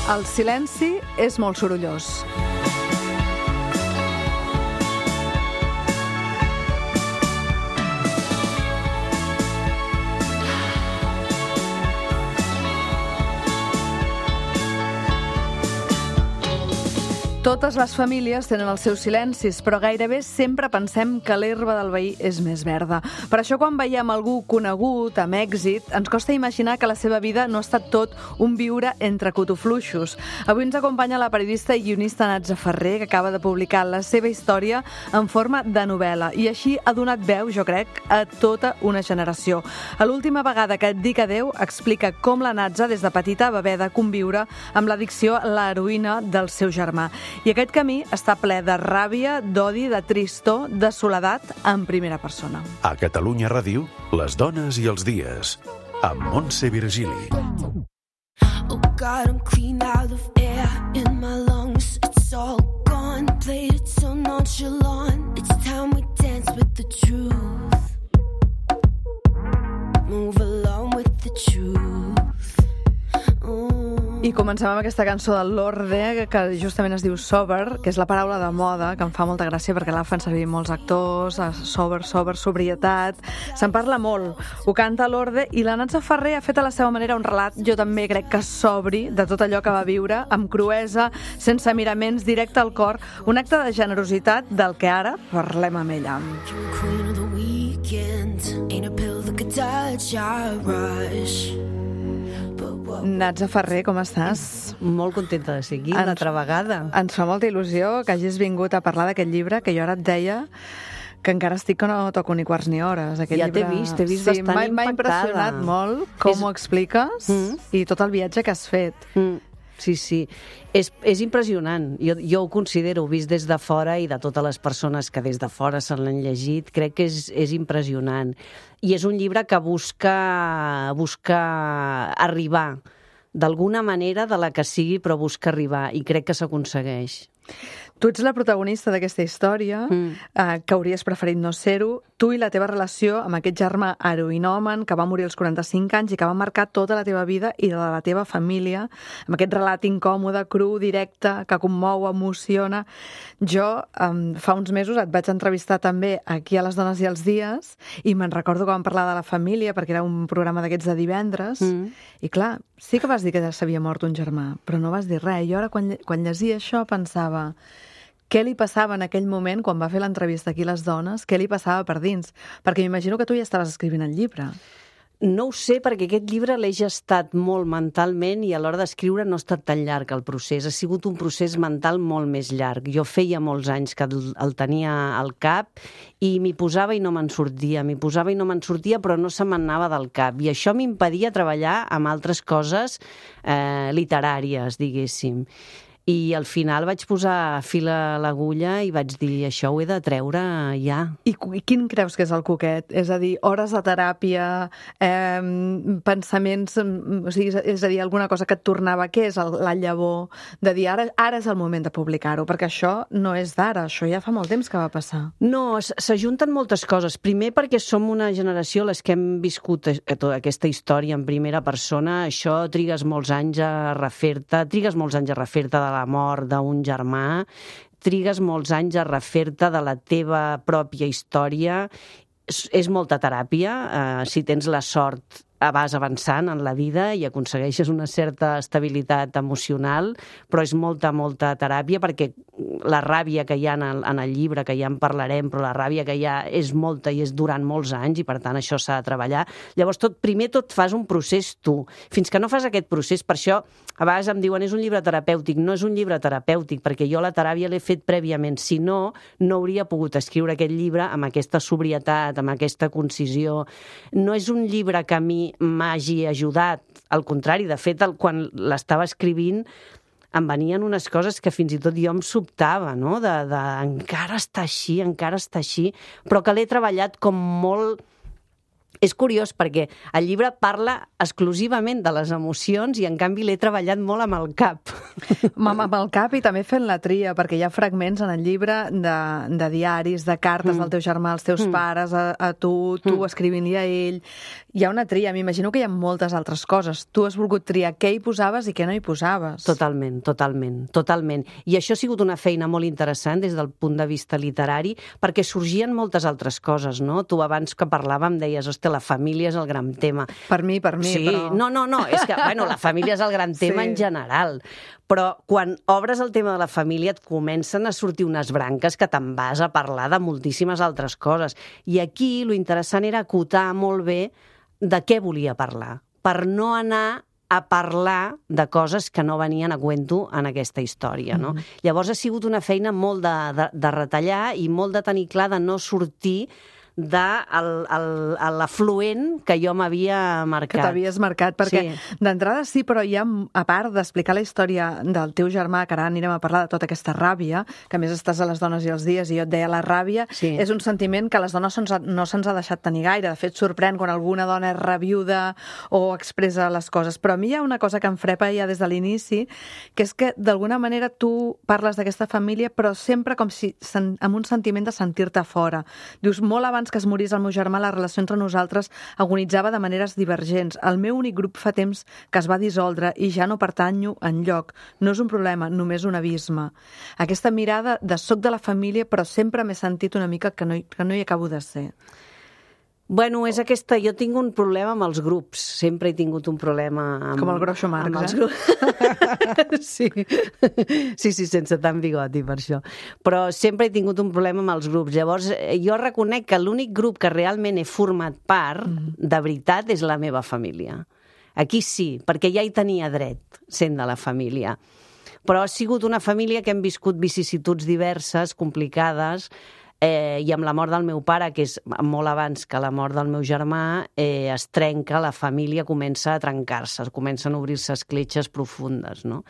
El silenci és molt sorollós. Totes les famílies tenen els seus silencis, però gairebé sempre pensem que l'herba del veí és més verda. Per això, quan veiem algú conegut, amb èxit, ens costa imaginar que la seva vida no ha estat tot un viure entre cotofluixos. Avui ens acompanya la periodista i guionista Natza Ferrer, que acaba de publicar la seva història en forma de novel·la, i així ha donat veu, jo crec, a tota una generació. A l'última vegada que et dic adeu, explica com la Natza, des de petita, va haver de conviure amb l'addicció a l'heroïna del seu germà. I aquest camí està ple de ràbia, d'odi, de tristor, de soledat en primera persona. A Catalunya Ràdio, les dones i els dies, amb Montse Virgili. Oh God, I'm clean out of air in my lungs. It's all gone, played it so nonchalant. It's time we dance with the truth. Move along with the truth. I comencem amb aquesta cançó del Lorde, que justament es diu Sober, que és la paraula de moda, que em fa molta gràcia perquè la fan servir molts actors, sober, sobrietat. Se'n parla molt. Ho canta Lorde i la Natza Ferrer ha fet a la seva manera un relat, jo també crec que sobri, de tot allò que va viure, amb cruesa, sense miraments, directe al cor, un acte de generositat del que ara parlem amb ella. Queen of the weekend, ain't a pill that could touch our rush. Natza Ferrer, com estàs? Molt contenta de ser aquí una altra vegada. Ens fa molta il·lusió que hagis vingut a parlar d'aquest llibre, que jo ara et deia que encara estic que no toco ni quarts ni hores. Aquest ja llibre... t'he vist bastant impactada. M'ha impressionat molt com ho expliques i tot el viatge que has fet. Sí. És impressionant. Jo ho considero, vist des de fora i de totes les persones que des de fora se l'han llegit, crec que és impressionant. I és un llibre que busca arribar d'alguna manera, de la que sigui, però busca arribar, i crec que s'aconsegueix. Tu ets la protagonista d'aquesta història, que hauries preferit no ser-ho. Tu i la teva relació amb aquest germà heroïnòman que va morir als 45 anys i que va marcar tota la teva vida i de la teva família, amb aquest relat incòmode, cru, directe, que commou, emociona. Jo, fa uns mesos, et vaig entrevistar també aquí a Les Dones i els Dies i me'n recordo que vam parlar de la família, perquè era un programa d'aquests de divendres, i clar, sí que vas dir que s'havia mort un germà, però no vas dir res. I ara, quan llegia això, pensava... Què li passava en aquell moment, quan va fer l'entrevista aquí a Les Dones? Què li passava per dins? Perquè m'imagino que tu ja estaves escrivint el llibre. No ho sé, perquè aquest llibre l'he gestat molt mentalment i a l'hora d'escriure no ha estat tan llarg el procés. Ha sigut un procés mental molt més llarg. Jo feia molts anys que el tenia al cap i m'hi posava i no me'n sortia. Però no se m'anava del cap. I això m'impedia treballar amb altres coses literàries, diguéssim. I al final vaig posar fil a l'agulla i vaig dir, això ho he de treure ja. I quin creus que és el coquet? És a dir, hores de teràpia, pensaments, o sigui, és a dir, alguna cosa que et tornava, què és la llavor de dir, ara és el moment de publicar-ho, perquè això no és d'ara, això ja fa molt temps que va passar. No, s'ajunten moltes coses. Primer perquè som una generació, les que hem viscut aquesta història en primera persona, això trigues molts anys a refer-te de la mort d'un germà, trigues molts anys a refer-te de la teva pròpia història. És molta teràpia, si tens la sort vas avançant en la vida i aconsegueixes una certa estabilitat emocional, però és molta teràpia, perquè la ràbia que hi ha en el llibre, que ja en parlarem, però la ràbia que hi ha és molta i és durant molts anys i per tant això s'ha de treballar. Llavors primer tot fas un procés tu. Fins que no fas aquest procés, per això a vegades em diuen és un llibre terapèutic. No és un llibre terapèutic perquè jo la teràpia l'he fet prèviament. Si no, no hauria pogut escriure aquest llibre amb aquesta sobrietat, amb aquesta concisió. No és un llibre que a mi m'hagi ajudat, al contrari, de fet, quan l'estava escrivint em venien unes coses que fins i tot jo em sobtava, no? De encara està així, però que l'he treballat com molt És curiós perquè el llibre parla exclusivament de les emocions i en canvi l'he treballat molt amb el cap. Amb el cap i també fent la tria, perquè hi ha fragments en el llibre de diaris, de cartes del teu germà als teus pares, a tu escrivint-li a ell. Hi ha una tria, m'imagino que hi ha moltes altres coses. Tu has volgut triar què hi posaves i què no hi posaves. Totalment. I això ha sigut una feina molt interessant des del punt de vista literari, perquè sorgien moltes altres coses, no? Tu abans que parlàvem deies, hòstia, la família és el gran tema. Per mi, sí, però... No, és que, la família és el gran tema en general. Però quan obres el tema de la família et comencen a sortir unes branques que te'n vas a parlar de moltíssimes altres coses. I aquí lo interessant era acotar molt bé de què volia parlar, per no anar a parlar de coses que no venien a cuento en aquesta història, no? Llavors ha sigut una feina molt de retallar i molt de tenir clar de no sortir de l'afluent que jo m'havia marcat. Que t'havies marcat, perquè d'entrada sí, però hi ha, a part d'explicar la història del teu germà, que ara anirem a parlar de tota aquesta ràbia, que a més estàs a Les dones i els dies, i jo et deia, la ràbia és un sentiment que a les dones no se'ns ha deixat tenir gaire. De fet, sorprèn quan alguna dona és rabiuda o expressa les coses. Però a mi hi ha una cosa que em frepa ja des de l'inici, que és que d'alguna manera tu parles d'aquesta família, però sempre com si amb un sentiment de sentir-te fora. Dius, molt abans que es morís el meu germà, la relació entre nosaltres agonitzava de maneres divergents. El meu únic grup fa temps que es va dissoldre i ja no pertanyo enlloc. No és un problema, només un abisme. Aquesta mirada de soc de la família, però sempre m'he sentit una mica que no hi acabo de ser. Bueno, és aquesta... Jo tinc un problema amb els grups. Sempre he tingut un problema amb... Com el Groucho Marx, Sí, sense tant bigoti per això. Però sempre he tingut un problema amb els grups. Llavors, jo reconec que l'únic grup que realment he format part, de veritat, és la meva família. Aquí sí, perquè ja hi tenia dret, sent de la família. Però ha sigut una família que hem viscut vicissituds diverses, complicades, i amb la mort del meu pare, que és molt abans que la mort del meu germà, es trenca, la família comença a trencar-se, comencen a obrir-se escletxes profundes, no?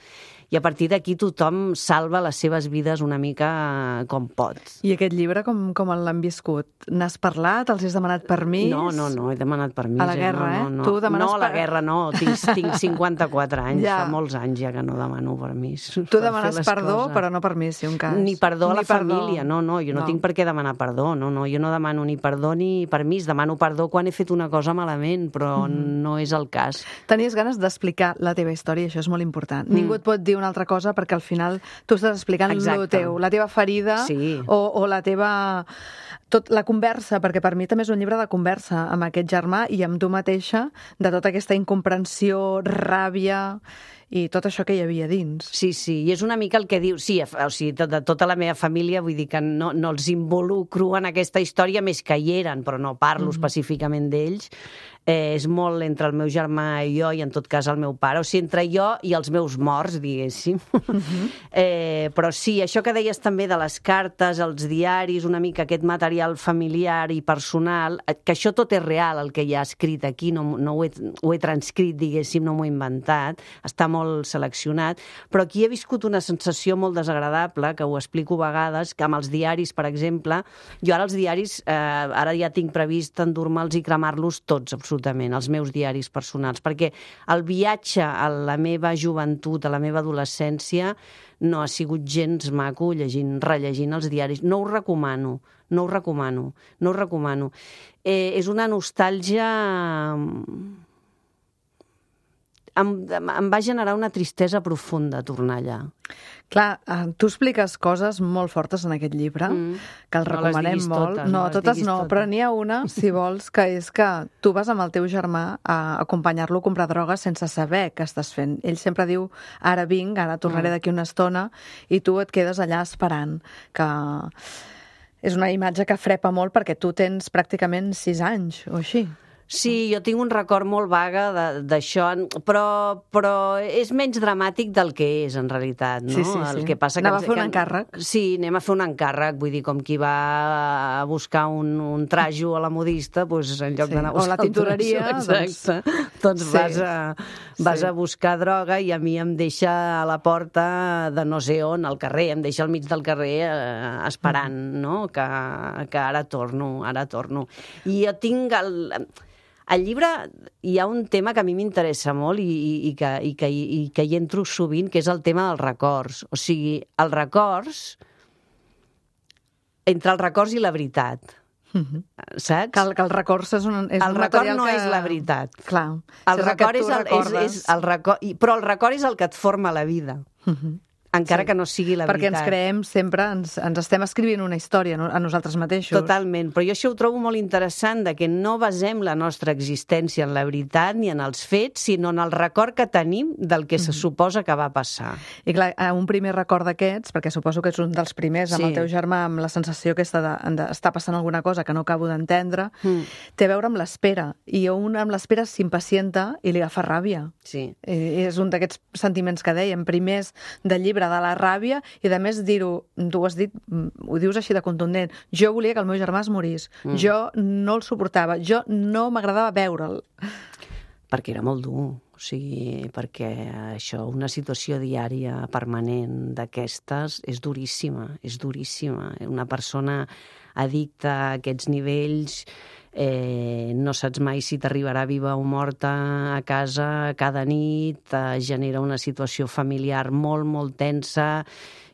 I a partir d'aquí tothom salva les seves vides una mica com pot. I aquest llibre com l'han viscut? N'has parlat? Els has demanat permís? No, he demanat permís. A la guerra, no. Tu demanes... No, a la guerra no, tinc 54 anys, fa molts anys ja que no demano permís. Tu demanes perdó, però no permís, si un cas. Ni perdó a la família, no, jo no tinc per què demanar perdó, no, jo no demano ni perdó ni permís, demano perdó quan he fet una cosa malament, però no és el cas. Tenies ganes d'explicar la teva història, això és molt important. Ningú et pot dir una altra cosa perquè al final tu estàs explicant el teu, la teva ferida o la teva... la conversa, perquè per mi també és un llibre de conversa amb aquest germà i amb tu mateixa, de tota aquesta incomprensió, ràbia i tot això que hi havia dins. Sí, i és una mica el que diu... Sí, o sigui, de tota la meva família, vull dir que no els involucro en aquesta història, més que hi eren, però no parlo específicament d'ells. És molt entre el meu germà i jo, i en tot cas el meu pare, o sigui, entre jo i els meus morts, diguéssim. Però sí, això que deies també de les cartes, els diaris, una mica aquest material familiar i personal, que això tot és real, el que hi ha escrit aquí, no ho he transcrit, diguéssim, no m'ho he inventat, està molt seleccionat, però aquí he viscut una sensació molt desagradable, que ho explico a vegades, que amb els diaris, per exemple, jo ara els diaris, ara ja tinc previst endur-me'ls i cremar-los tots, absolutament, els meus diaris personals, perquè el viatge a la meva joventut, a la meva adolescència, no ha sigut gens maco rellegint els diaris. No ho recomano. És una nostàlgia... Em va generar una tristesa profunda tornar allà. Clar, tu expliques coses molt fortes en aquest llibre, que el recomanem molt. Totes no, però n'hi ha una, si vols, que és que tu vas amb el teu germà a acompanyar-lo a comprar droga sense saber què estàs fent. Ell sempre diu, ara vinc, ara tornaré d'aquí una estona, i tu et quedes allà esperant, que... És una imatge que frepa molt perquè tu tens pràcticament 6 anys o així. Sí, jo tinc un record molt vague d'això, però és menys dramàtic del que és, en realitat, no? Sí. El que passa anava a fer un encàrrec. Sí, anem a fer un encàrrec, vull dir, com qui va a buscar un trajo a la modista, doncs en lloc d'anar a buscar o la tintoreria. Exacte. Doncs vas a buscar droga i a mi em deixa a la porta de no sé on, al carrer, em deixa al mig del carrer esperant, no? Que ara torno. I jo tinc Al llibre hi ha un tema que a mi m'interessa molt i que hi entro sovint, que és el tema dels records. O sigui, els records, entre els records i la veritat. Saps? Que els records és un record no és la veritat. Clar. El record però el record és el que et forma la vida. Encara que no sigui la perquè veritat. Perquè ens creem sempre, ens estem escrivint una història a nosaltres mateixos. Totalment, però jo això ho trobo molt interessant, de que no basem la nostra existència en la veritat ni en els fets, sinó en el record que tenim del que se suposa que va passar. I clar, un primer record d'aquests, perquè suposo que és un dels primers, amb el teu germà, amb la sensació aquesta d'estar passant alguna cosa que no acabo d'entendre, té a veure amb l'espera. I un amb l'espera s'impacienta i li agafa ràbia. Sí. És un d'aquests sentiments que dèiem, primers del llibre de la ràbia, i a més dir-ho, tu ho has dit, ho dius així de contundent, jo volia que el meu germà es morís, jo no el suportava, jo no m'agradava veure'l. Perquè era molt dur, o sigui, perquè això, una situació diària permanent d'aquestes és duríssima, és duríssima. Una persona addicta a aquests nivells no saps mai si t'arribarà viva o morta a casa cada nit, genera una situació familiar molt, molt tensa.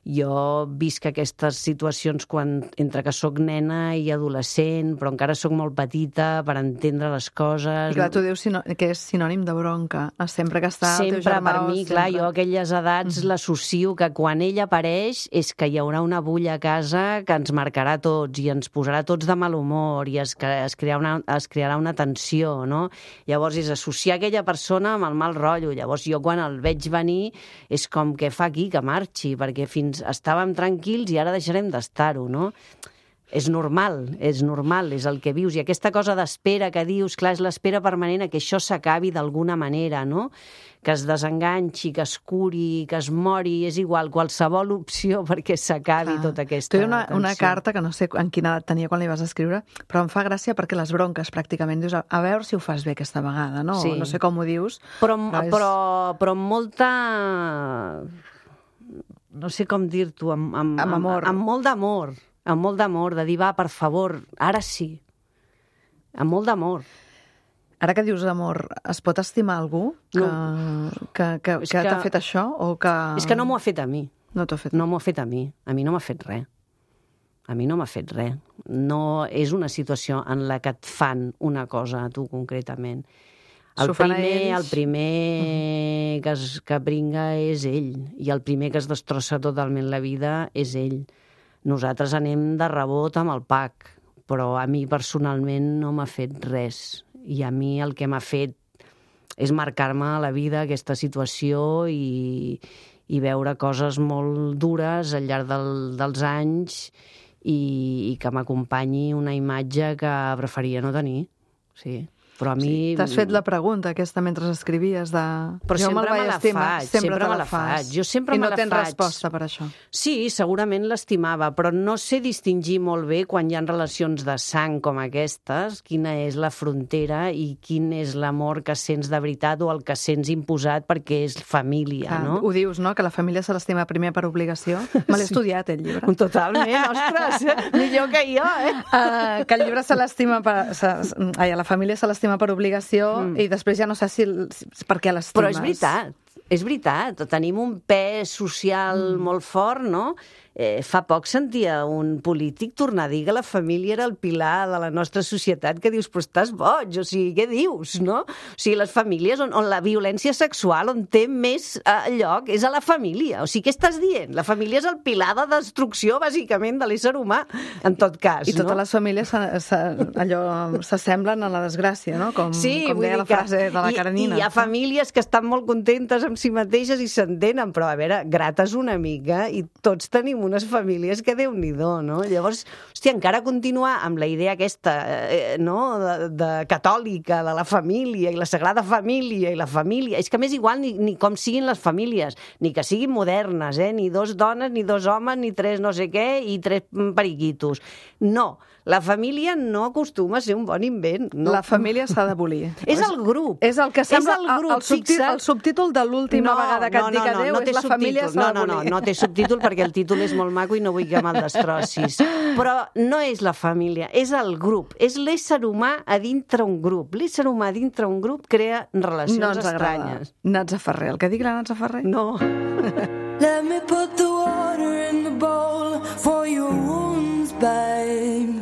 Jo visc aquestes situacions entre que sóc nena i adolescent, però encara sóc molt petita per entendre les coses. I clar, tu dius que és sinònim de bronca, sempre que està el teu germà. Sempre, per mi, clar, jo a aquelles edats l'associo que quan ell apareix és que hi haurà una bulla a casa que ens marcarà tots i ens posarà tots de mal humor i es crearà una tensió, no? Llavors és associar aquella persona amb el mal rotllo. Llavors jo quan el veig venir és com que fa aquí que marxi, perquè fins estàvem tranquils i ara deixarem d'estar-ho, no? És normal, és el que vius. I aquesta cosa d'espera que dius, clar, és l'espera permanent a que això s'acabi d'alguna manera, no? Que es desenganxi, que es curi, que es mori, és igual, qualsevol opció perquè s'acabi tota aquesta tensió. Tu hi ha una carta que no sé en quina edat tenia quan li vas escriure, però em fa gràcia perquè les bronques pràcticament dius, a veure si ho fas bé aquesta vegada, no? Sí. No sé com ho dius. Però amb molta... no sé com dir-t'ho, amb amor. Amb molt d'amor, de dir, va, per favor, ara sí. Amb molt d'amor. Ara que dius amor, es pot estimar algú que t'ha fet això? O que... És que no m'ho ha fet a mi. No t'ho ha fet? No m'ho ha fet a mi. A mi no m'ha fet res. A mi no m'ha fet res. No és una situació en la que et fan una cosa a tu concretament. El primer que bringa és ell, i el primer que es destrossa totalment la vida és ell. Nosaltres anem de rebot amb el PAC, però a mi personalment no m'ha fet res. I a mi el que m'ha fet és marcar-me a la vida aquesta situació i veure coses molt dures al llarg dels anys i que m'acompanyi una imatge que preferia no tenir. Sí. Però a mi... T'has fet la pregunta aquesta mentre escrivies de... Però sempre me la faig, sempre me la faig. Jo sempre me la faig. I no tens resposta per això? Sí, segurament l'estimava, però no sé distingir molt bé quan hi ha relacions de sang com aquestes, quina és la frontera i quin és l'amor que sents de veritat o el que sents imposat perquè és família, no? Ho dius, no?, que la família se l'estima primer per obligació. Me l'he estudiat, el llibre. Totalment, ostres, millor que jo, que el llibre se l'estima la família se l'estima per obligació i després ja no sé si per què l'estimes. Però és veritat. Tenim un pes social molt fort, no? Fa poc sentia un polític tornar a dir que la família era el pilar de la nostra societat, que dius, però estàs boig, o sigui, què dius, no? O sigui, les famílies on la violència sexual, on té més lloc, és a la família. O sigui, què estàs dient? La família és el pilar de destrucció, bàsicament, de l'ésser humà, en tot cas, no? I totes les famílies s'assemblen a la desgràcia, no? Com deia la frase de la Karenina. I hi ha famílies que estan molt contentes amb si mateixes i s'entenen, però, a veure, grates una mica i tots tenim unes famílies que Déu-n'hi-do, no? Llavors, hòstia, encara continuar amb la idea aquesta, no?, de catòlica, de la família i la Sagrada Família i la família, és que a més igual ni com siguin les famílies, ni que siguin modernes, ni 2 dones, ni 2 homes, ni 3 no sé què i 3 periquitos. No, La família no acostuma a ser un bon invent. No. La família s'ha d'abolir. És el grup. És el que sembla És el grup, el subtítol de l'última vegada que et dic adéu, és la família s'ha d'abolir. No té subtítol perquè el títol és molt maco i no vull que me'l destrossis. Però no és la família, és el grup. És l'ésser humà a dintre un grup. L'ésser humà a dintre un grup crea relacions estranyes. Natza Ferrer, el que digui la Natza Ferrer? No. Let me put the water in the bowl for your wounds, babe.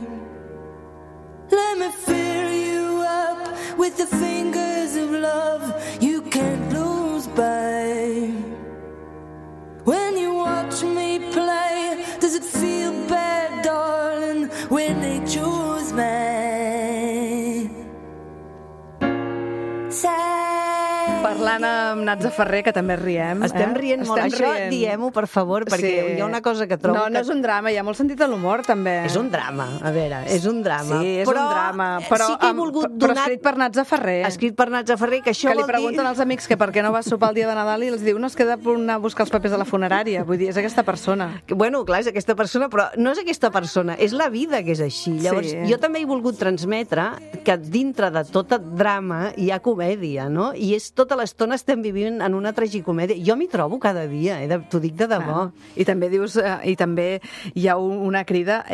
Let me fill you up with the fingers of love you can't lose, babe. When you watch me play, does it feel bad, darling, when they choose me? Parlant amb Natza Ferrer, que també riem. Estem rient molt. Això diem-ho, per favor, perquè hi ha una cosa que trobo... No és un drama, hi ha molt sentit de l'humor, també. És un drama, a veure, és un drama. Sí, és un drama, però sí que he volgut donar... Però escrit per Natza Ferrer. Escrit per Natza Ferrer, que això vol dir... Que li pregunten als amics que per què no va sopar el dia de Nadal i els diu, no, es queda per anar a buscar els papers de la funerària. Vull dir, és aquesta persona. Bueno, clar, és aquesta persona, però no és aquesta persona, és la vida que és així. Llavors, jo també he volgut transmetre que dintre de tot el drama hi ha comèdia, no? I és tota l'estona estem vivint en una tragicomèdia. Jo m'hi trobo cada dia, t'ho dic de debò. I també dius, i també hi ha una crida,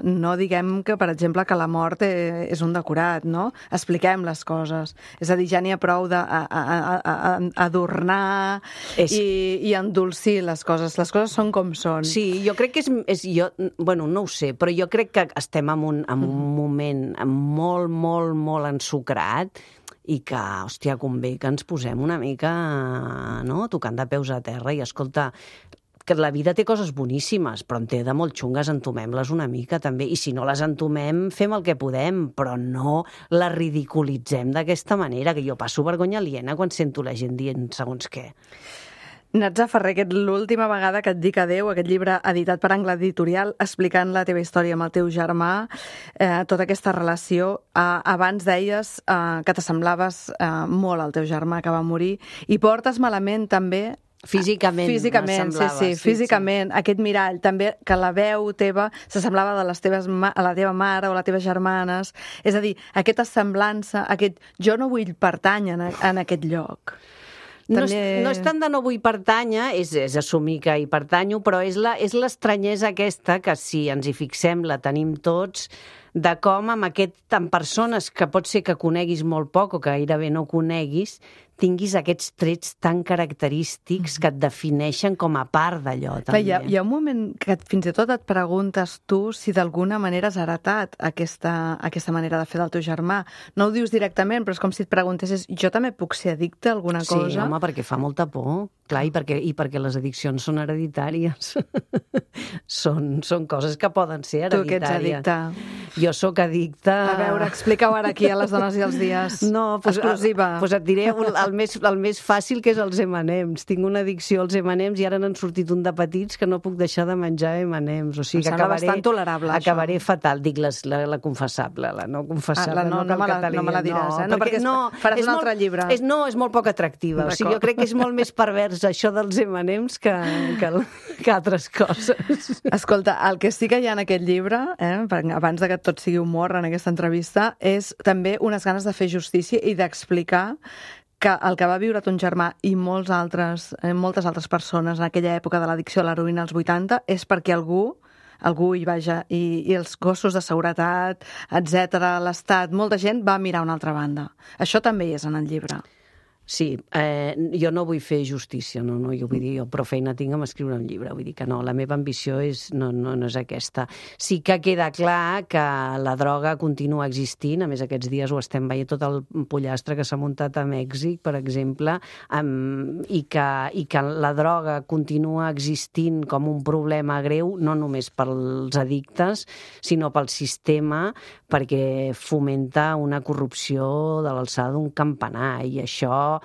no diguem que, per exemple, que la mort és un decorat, no? Expliquem les coses. És a dir, ja n'hi ha prou d'adornar i endolcir les coses. Les coses són com són. Sí, jo crec que bueno, no ho sé, però jo crec que estem en un moment molt, molt, molt ensucrat i que, hòstia, convé que ens posem una mica, no?, tocant de peus a terra i, escolta, que la vida té coses boníssimes, però en té de molt xungues, entomem-les una mica, també. I si no les entomem, fem el que podem, però no la ridiculitzem d'aquesta manera, que jo passo vergonya aliena quan sento la gent dient segons què. Natza Ferrer, que l'última vegada que et dic adéu, aquest llibre editat per Angle Editorial, explicant la teva història amb el teu germà, tota aquesta relació. Abans deies que t'assemblaves molt al teu germà que va morir, i portes malament també... Físicament, sí, físicament. Aquest mirall, també, que la veu teva s'assemblava a la teva mare o a les teves germanes. És a dir, aquesta semblança, jo no vull pertànyer en aquest lloc. No és tant de no vull pertànyer, és assumir que hi pertanyo, però és l'estranyesa aquesta que, si ens hi fixem, la tenim tots, de com amb persones que pot ser que coneguis molt poc o que gairebé no coneguis, tinguis aquests trets tan característics que et defineixen com a part d'allò, també. Hi ha un moment que fins i tot et preguntes tu si d'alguna manera has heretat aquesta manera de fer del teu germà. No ho dius directament, però és com si et preguntessis, jo també puc ser addicte a alguna cosa? Sí, home, perquè fa molta por. Clar, i perquè les addiccions són hereditàries. Són coses que poden ser hereditàries. Tu que ets addicte. Jo sóc addicte... A veure, explica-ho ara aquí a les dones i els dies. No, exclusiva. Doncs et diré el més fàcil, que és els M&M's. Tinc una addicció als M&M's i ara n'han sortit un de petits que no puc deixar de menjar M&M's. O sigui que bastant tolerable, acabaré fatal. Dic la confessable, la no confessable. No me la diràs, no, perquè faràs un altre llibre. No, és molt poc atractiva. O sigui, jo crec que és molt més pervers això dels M&M's que altres coses. Escolta, el que sí que hi ha en aquest llibre, abans que tot sigui humor en aquesta entrevista, és també unes ganes de fer justícia i d'explicar que el que va viure ton germà i moltes altres persones en aquella època de l'addicció a l'heroïna als 80 és perquè algú hi vaja, i els cossos de seguretat, etc., l'Estat, molta gent va mirar una altra banda. Això també hi és en el llibre. Sí, jo no vull fer justícia, no, jo vull dir, jo prou feina tinc amb escriure un llibre, vull dir que no, la meva ambició no és aquesta. Sí que queda clar que la droga continua existint, a més aquests dies ho estem veient tot el pollastre que s'ha muntat a Mèxic, per exemple, i que la droga continua existint com un problema greu, no només pels addictes, sinó pel sistema, perquè fomenta una corrupció de l'alçada d'un campanar, i això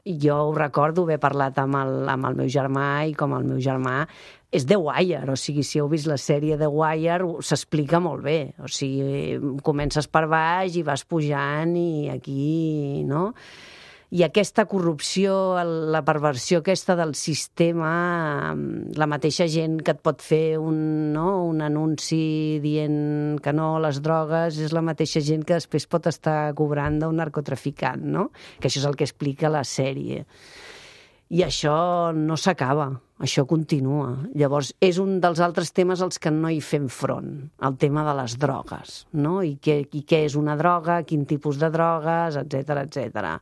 jo ho recordo haver parlat amb el meu germà, i com el meu germà és The Wire, o sigui, si heu vist la sèrie The Wire s'explica molt bé, o sigui, comences per baix i vas pujant i aquí, no? I aquesta corrupció, la perversió aquesta del sistema, la mateixa gent que et pot fer un anunci dient que no a les drogues és la mateixa gent que després pot estar cobrant d'un narcotraficant, no? Que això és el que explica la sèrie. I això no s'acaba, això continua. Llavors, és un dels altres temes als que no hi fem front, el tema de les drogues, no? I què és una droga, quin tipus de drogues, etcètera, etcètera.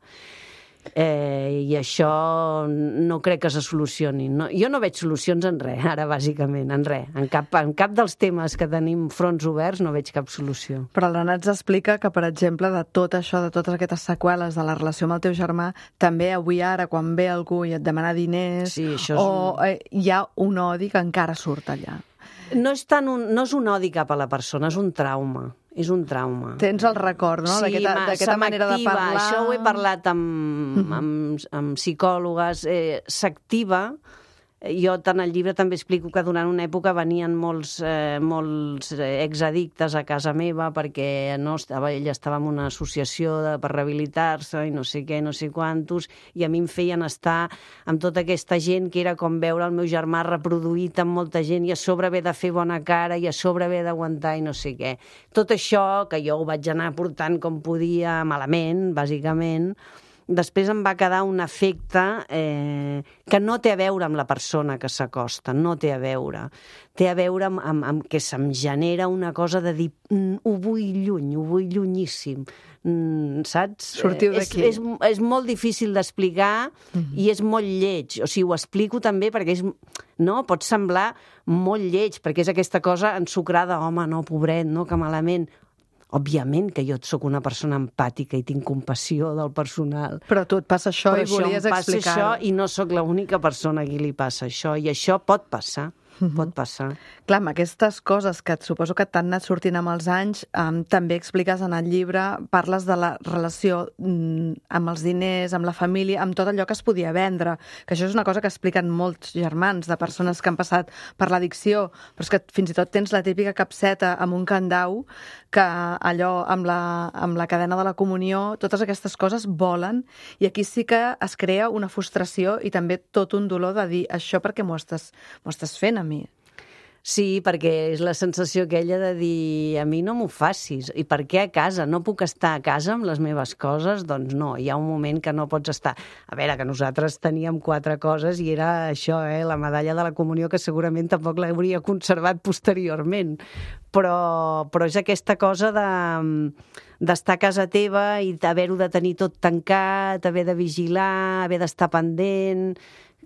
I això no crec que se solucioni. No, jo no veig solucions en res, ara, bàsicament, en res. En cap dels temes que tenim fronts oberts no veig cap solució. Però l'Anna ens explica que, per exemple, de tot això, de totes aquestes seqüeles de la relació amb el teu germà, també avui ara, quan ve algú i et demana diners, sí, això és hi ha un odi que encara surt allà. No és un odi cap a la persona, és un trauma. És un trauma. Tens el record, no? Sí, d'aquesta manera de parlar. Això ho he parlat amb psicòlogues. S'activa. Jo, tant al llibre, també explico que durant una època venien molts exaddictes a casa meva perquè ella estava en una associació per rehabilitar-se i no sé què, no sé quantos, i a mi em feien estar amb tota aquesta gent que era com veure el meu germà reproduït amb molta gent i a sobre haver de fer bona cara i a sobre haver d'aguantar i no sé què. Tot això, que jo ho vaig anar portant com podia, malament, bàsicament, després em va quedar un efecte que no té a veure amb la persona que s'acosta, no té a veure. Té a veure amb que se'm genera una cosa de dir ho vull llunyíssim, saps? Sortiu d'aquí. És molt difícil d'explicar i és molt lleig. O sigui, ho explico també perquè pot semblar molt lleig, perquè és aquesta cosa ensucrada, home, no, pobret, no, que malament. Òbviament que jo sóc una persona empàtica i tinc compassió del personal. Però a tu et passa això i volies explicar-ho. Però això em passa això i no sóc l'única persona a qui li passa això. I això pot passar. Pot passar. Clar, amb aquestes coses que suposo que t'han anat sortint amb els anys, també expliques en el llibre, parles de la relació amb els diners, amb la família, amb tot allò que es podia vendre, que això és una cosa que expliquen molts germans de persones que han passat per l'addicció, però és que fins i tot tens la típica capseta amb un candau que allò amb la cadena de la comunió, totes aquestes coses volen, i aquí sí que es crea una frustració i també tot un dolor de dir això perquè m'ho estàs fent a mi. Sí, perquè és la sensació aquella de dir a mi no m'ho facis. I per què a casa? No puc estar a casa amb les meves coses? Doncs no, hi ha un moment que no pots estar. A veure, que nosaltres teníem 4 coses i era això, la medalla de la comunió, que segurament tampoc l'hauria conservat posteriorment. Però és aquesta cosa d'estar a casa teva i haver-ho de tenir tot tancat, haver de vigilar, haver d'estar pendent.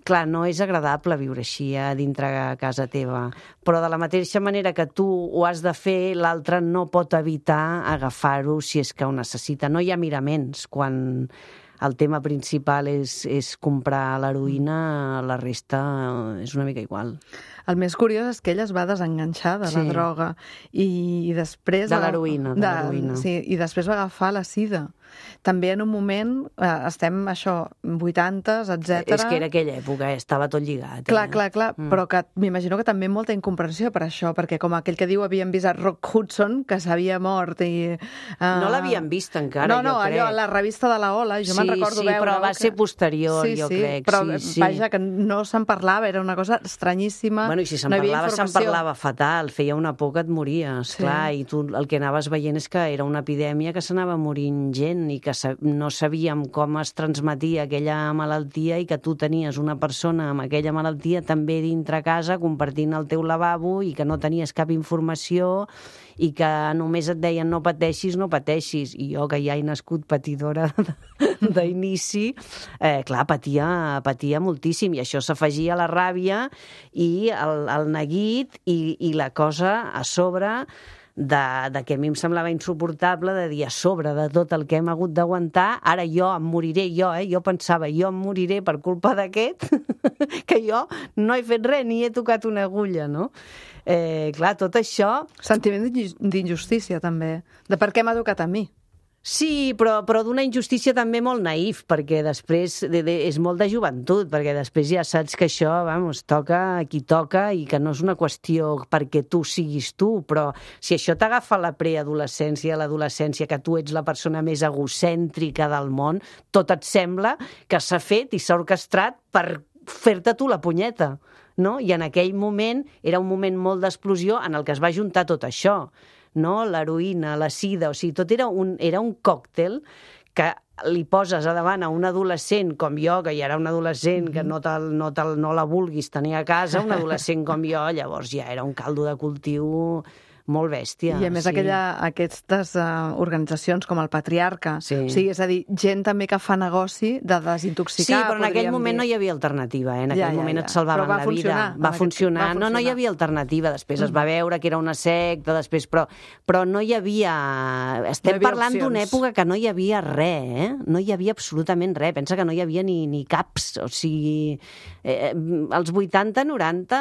Clar, no és agradable viure així dintre a casa teva, però de la mateixa manera que tu ho has de fer, l'altre no pot evitar agafar-ho si és que ho necessita. No hi ha miraments. Quan el tema principal és comprar l'heroïna, la resta és una mica igual. El més curiós és que ella es va desenganxar de la droga i després... De l'heroïna. Sí, i després va agafar la sida. També en un moment, estem, 80s, etc. És que era aquella època, estava tot lligat. Clar, però que m'imagino que també molta incomprensió per això, perquè com aquell que diu havien vist a Rock Hudson, que s'havia mort i... No l'havien vist encara, jo crec. Allò, a la revista de la Ola, jo me'n recordo veure... Sí, però va ser posterior, jo crec. Però vaja, que no se'n parlava, era una cosa estranyíssima. Bueno, i si se'n parlava fatal, feia una por que et mories, clar, i tu el que anaves veient és que era una epidèmia que s'anava morint gent i que no sabíem com es transmetia aquella malaltia i que tu tenies una persona amb aquella malaltia també dintre casa compartint el teu lavabo i que no tenies cap informació i que només et deien no pateixis. I jo, que ja he nascut patidora d'inici, clar, patia moltíssim, i això s'afegia a la ràbia i el neguit i la cosa a sobre de que a mi em semblava insuportable de dir a sobre de tot el que hem hagut d'aguantar, ara jo em moriré, jo pensava, jo em moriré per culpa d'aquest, que jo no he fet res, ni he tocat una agulla, no? Clar, tot això... Sentiment d'injustícia, també, de per què m'ha tocat a mi. Sí, però d'una injustícia també molt naïf, perquè després és molt de joventut, perquè després ja saps que això, toca a qui toca i que no és una qüestió perquè tu siguis tu, però si això t'agafa la preadolescència, l'adolescència, que tu ets la persona més egocèntrica del món, tot et sembla que s'ha fet i s'ha orquestrat per fer-te tu la punyeta, no? I en aquell moment era un moment molt d'explosió en el que es va juntar tot això, no? L'heroïna, la sida, o sigui, tot era un còctel que li poses a davant a un adolescent com jo, que ja era un adolescent que no la vulguis tenir a casa, un adolescent com jo, llavors ja era un caldo de cultiu molt bèstia. I a més aquestes organitzacions com el Patriarca, sí. O sigui, és a dir, gent també que fa negoci de desintoxicar. Sí, però en aquell moment no hi havia alternativa, en aquell moment et salvaven la vida. Va funcionar. No hi havia alternativa. Després es va veure que era una secta, després, però no hi havia... Estem parlant d'una època que no hi havia res, No hi havia absolutament res. Pensa que no hi havia ni caps, o sigui... als 80, 90,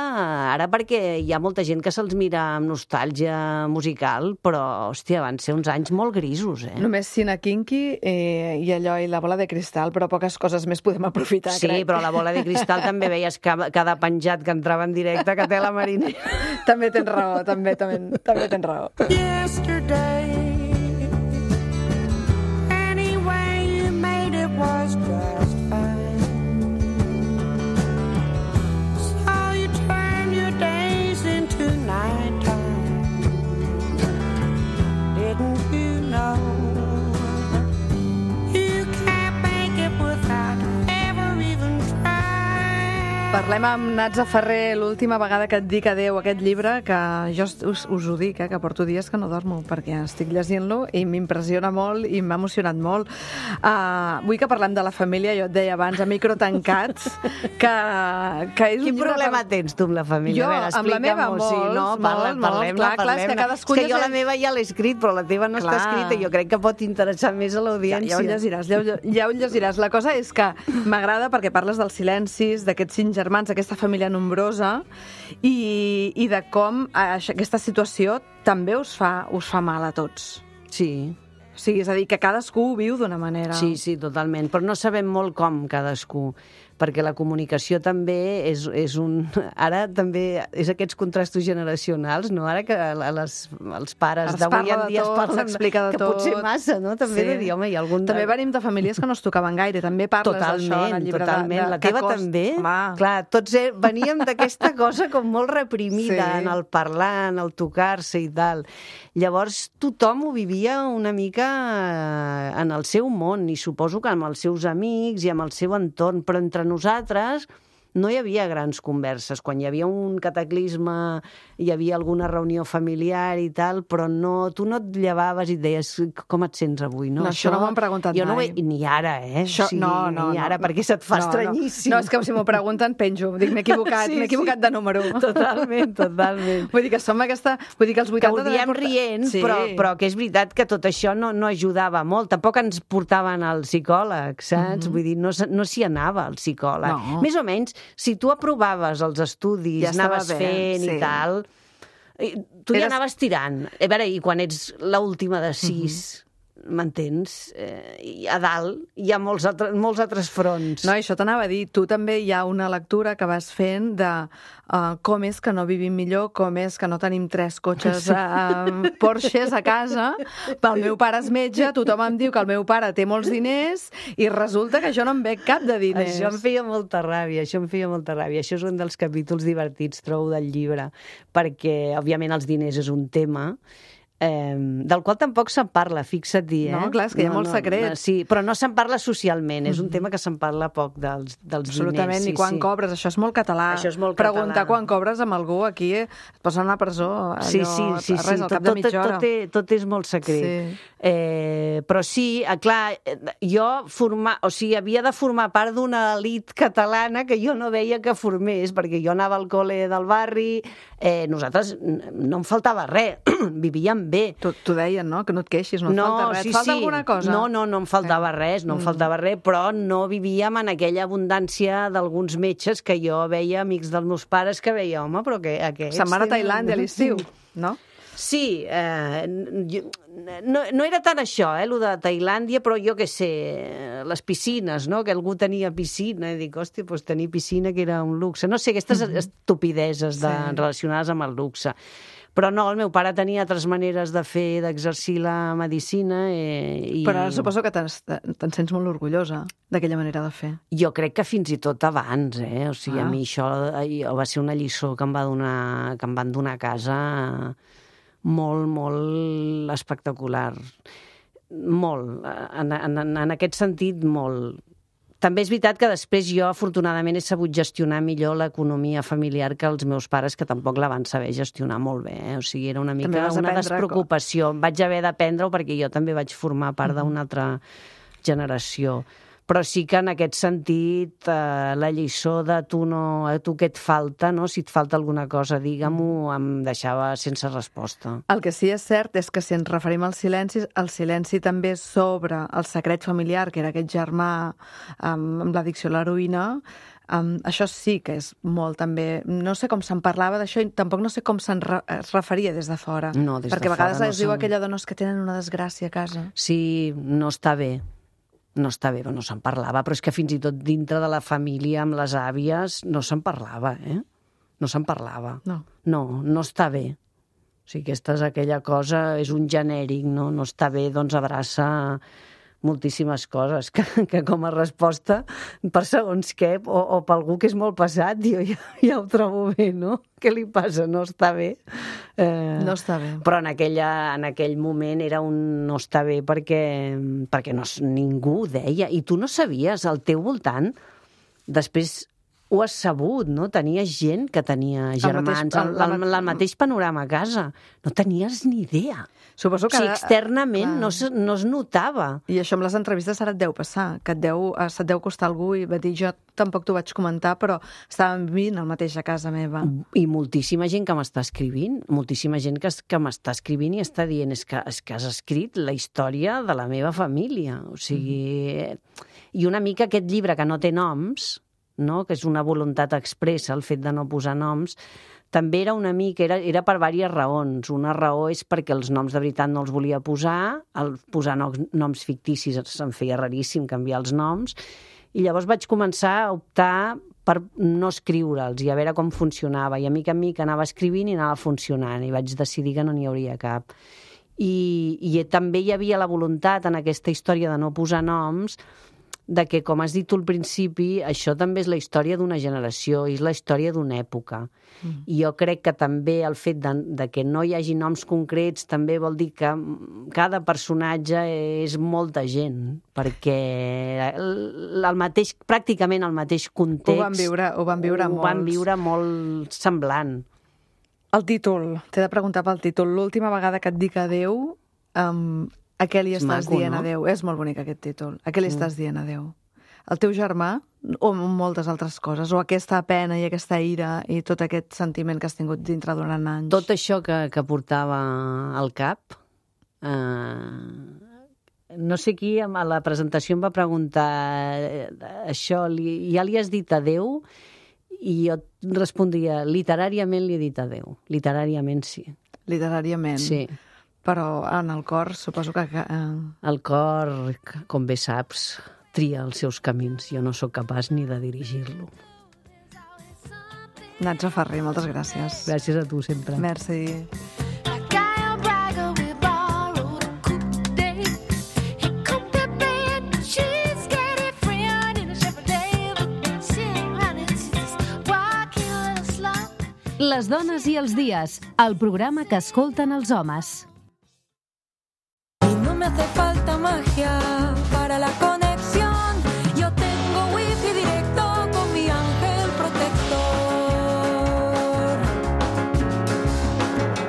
ara perquè hi ha molta gent que se'ls mira amb nostàlgia musical, però, hòstia, van ser uns anys molt grisos, Només Sina Kinky i allò i la bola de cristal, però poques coses més podem aprofitar, sí, crec. Però la bola de cristal també veies cada penjat que entrava en directe que té la Mariner. També tens raó, també tens raó. Yesterday, any way you made it was just fine. So you turn your days into nighttime. Didn't you know you can't make it without ever even trying? Parlem amb Natza Ferrer l'última vegada que et dic adeu, aquest llibre, que jo us ho dic, que porto dies que no dormo, perquè estic llegint-lo i m'impressiona molt i m'ha emocionat molt. Vull que parlem de la família, jo et deia abans, a micro tancats, que és un Quin problema tens tu amb la família? Jo, amb la meva, Parlem-ne. Clar, és que cadascun... És que jo la meva ja l'he escrit, però la teva no està escrita i jo crec que pot interessar més a l'audiència. Ja ho llegiràs. La cosa és que m'agrada perquè parles dels silencis, d'aquests 5 germans, d'aquesta família nombrosa i de com aquesta situació també us fa mal a tots. Sí. O sigui, és a dir, que cadascú ho viu d'una manera. Sí, totalment. Però no sabem molt com cadascú, perquè la comunicació també és un... Ara també és aquests contrastos generacionals, no? Ara que els pares d'avui en dia es parlen que potser massa, no? També de dir, home, hi ha algun... També venim de famílies que no es tocaven gaire, també parles d'això en el llibre. Totalment, la teva també. Clar, tots veníem d'aquesta cosa com molt reprimida en el parlar, en el tocar-se i tal. Llavors tothom ho vivia una mica en el seu món, i suposo que amb els seus amics i amb el seu entorn, però entre nosaltres no hi havia grans converses. Quan hi havia un cataclisme, hi havia alguna reunió familiar i tal, però tu no et llevaves i et deies com et sents avui, no? Això no m'ho han preguntat mai. Jo no ni ara, Això, ni ara, perquè se't fa estranyíssim. No, és que si m'ho pregunten, penjo. Dic, m'he equivocat de número. Totalment. Vull dir que som aquesta... Vull dir que els 80... Que ho diem rient, però que és veritat que tot això no ajudava molt. Tampoc ens portaven al psicòleg, saps? Vull dir, no s'hi anava al psicòleg. Més o menys, si tu aprovaves els estudis, anaves fent i tal, tu ja anaves tirant. A veure, i quan ets l'última de 6... m'entens? A dalt hi ha molts altres fronts. No, això t'anava a dir. Tu també hi ha una lectura que vas fent de com és que no vivim millor, com és que no tenim 3 cotxes Porsches a casa, el meu pare és metge, tothom em diu que el meu pare té molts diners i resulta que jo no em veig cap de diners. Això em feia molta ràbia. Això és un dels capítols divertits, trobo, del llibre, perquè, òbviament, els diners és un tema del qual tampoc se'n parla, fixa't-hi. No, clar, és que hi ha molts secrets. Sí, però no se'n parla socialment, és un tema que se'n parla poc dels diners. Absolutament, i quan cobres, això és molt català. Preguntar quan cobres amb algú aquí, et posen a la presó, al cap de mitja hora. Tot és molt secret. Però sí, clar, jo havia de formar part d'una elit catalana que jo no veia que formés, perquè jo anava al col·le del barri, nosaltres no em faltava res, vivíem bé. T'ho deien, no? Que no et queixis, no et falta res. Et falta alguna cosa? No em faltava res, però no vivíem en aquella abundància d'alguns metges que jo veia, amics dels meus pares, que veia, home, però aquests... Se'n van a Tailàndia a l'estiu, no? Sí, no era tant això, el de Tailàndia, però jo què sé, les piscines, no? Que algú tenia piscina, i dic, hòstia, doncs tenir piscina que era un luxe. No sé, aquestes estupideses relacionades amb el luxe. Però no, el meu pare tenia altres maneres d'exercir la medicina i... Però ara suposo que te'n sents molt orgullosa d'aquella manera de fer. Jo crec que fins i tot abans, O sigui, a mi això va ser una lliçó que em van donar a casa molt, molt espectacular. Molt. En aquest sentit, molt. També és veritat que després jo, afortunadament, he sabut gestionar millor l'economia familiar que els meus pares, que tampoc la van saber gestionar molt bé. O sigui, era una mica una despreocupació. Vaig haver d'aprendre-ho perquè jo també vaig formar part d'una altra generació. Però sí que en aquest sentit la lliçó de a tu què et falta, no? Si et falta alguna cosa, digue-m'ho, em deixava sense resposta. El que sí és cert és que si ens referim als silencis, el silenci també sobre el secret familiar, que era aquest germà amb l'addicció a l'heroïna, això sí que és molt també... No sé com se'n parlava d'això i tampoc no sé com es referia des de fora. No, des de fora perquè a vegades es diu aquella dona que tenen una desgràcia a casa. Sí, no està bé. No està bé, no se'n parlava, però és que fins i tot dintre de la família, amb les àvies, no se'n parlava, No se'n parlava. No està bé. O sigui, aquesta és aquella cosa, és un genèric, no està bé, doncs abraça moltíssimes coses, que com a resposta, per segons què, o per algú que és molt pesat, ja ho trobo bé, no? Què li passa? No està bé? No està bé. Però en aquell moment era un no està bé perquè ningú ho deia. I tu no sabies, al teu voltant, després ho has sabut, no? Tenies gent que tenia germans, el mateix panorama a casa. No tenies ni idea. Suposo que externament no es notava. I això amb les entrevistes ara et deu passar, que se't deu costar algú i va dir, jo tampoc t'ho vaig comentar, però estàvem vivint el mateix a casa meva. I moltíssima gent que m'està escrivint, moltíssima gent que m'està escrivint i està dient és que has escrit la història de la meva família. O sigui... I una mica aquest llibre que no té noms, no? Que és una voluntat expressa, el fet de no posar noms, també era una mica, era per diverses raons. Una raó és perquè els noms de veritat no els volia posar, posar noms ficticis se'm feia raríssim canviar els noms, i llavors vaig començar a optar per no escriure'ls i a veure com funcionava. I a mica en mica anava escrivint i anava funcionant, i vaig decidir que no n'hi hauria cap. I també hi havia la voluntat en aquesta història de no posar noms de que, com has dit tu al principi, això també és la història d'una generació, és la història d'una època. I jo crec que també el fet de que no hi hagi noms concrets també vol dir que cada personatge és molta gent, perquè pràcticament el mateix context ho van viure molt semblant. El títol, t'he de preguntar pel títol. L'última vegada que et dic adeu, a què li estàs dient adeu? És molt bonic aquest títol. A què li estàs dient adeu? El teu germà o moltes altres coses? O aquesta pena i aquesta ira i tot aquest sentiment que has tingut dintre durant anys? Tot això que portava al cap. No sé qui a la presentació em va preguntar això, ja li has dit adeu? I jo respondria, literàriament li he dit adeu. Literàriament sí. Literàriament? Sí. Però en el cor suposo que... El cor, com bé saps, tria els seus camins. Jo no sóc capaç ni de dirigir-lo. Natxa Ferrer, moltes gràcies. Gràcies a tu, sempre. Merci. Les dones i els dies, el programa que escolten els homes. No me hace falta magia para la conexión. Yo tengo wifi directo con mi ángel protector.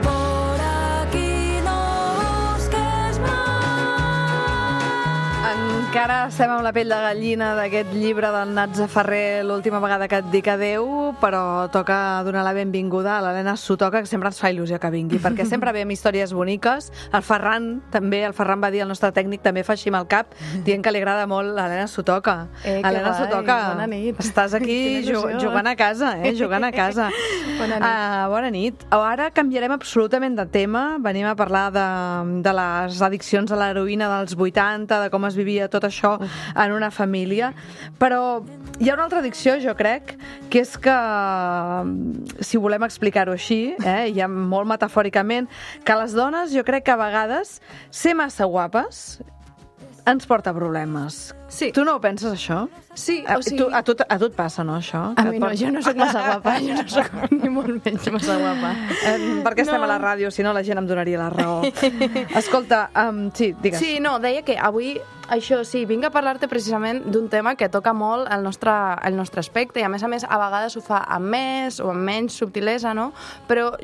Por aquí no busques más. En Encara estem amb la pell de gallina d'aquest llibre del Natza Ferrer, l'última vegada que et dic adeu, però toca donar la benvinguda a l'Helena Sotoca, que sempre ens fa il·lusió que vingui, perquè sempre ve amb històries boniques. El Ferran va dir, el nostre tècnic també fa així amb el cap, dient que li agrada molt l'Helena Sotoca. Helena Sotoca, bona nit. estàs aquí jugant a casa, jugant a casa. Bona nit. Bona nit. Ara canviarem absolutament de tema, venim a parlar de les addiccions a l'heroïna dels 80, de com es vivia tot això en una família, però hi ha una altra addicció, jo crec, que és que, si volem explicar-ho així, ja molt metafòricament, que les dones, jo crec que a vegades ser massa guapes ens porta problemes. Sí. Tu no ho penses, això? Sí, o sigui... A tu et passa, no, això? A mi no, jo no soc massa guapa, jo no soc ni molt menys massa guapa. Perquè estem a la ràdio, si no la gent em donaria la raó. Escolta, sí, digues. Sí, no, deia que avui, això sí, vinc a parlar-te precisament d'un tema que toca molt el nostre aspecte i a més, a vegades ho fa amb més o amb menys subtilesa, no? Però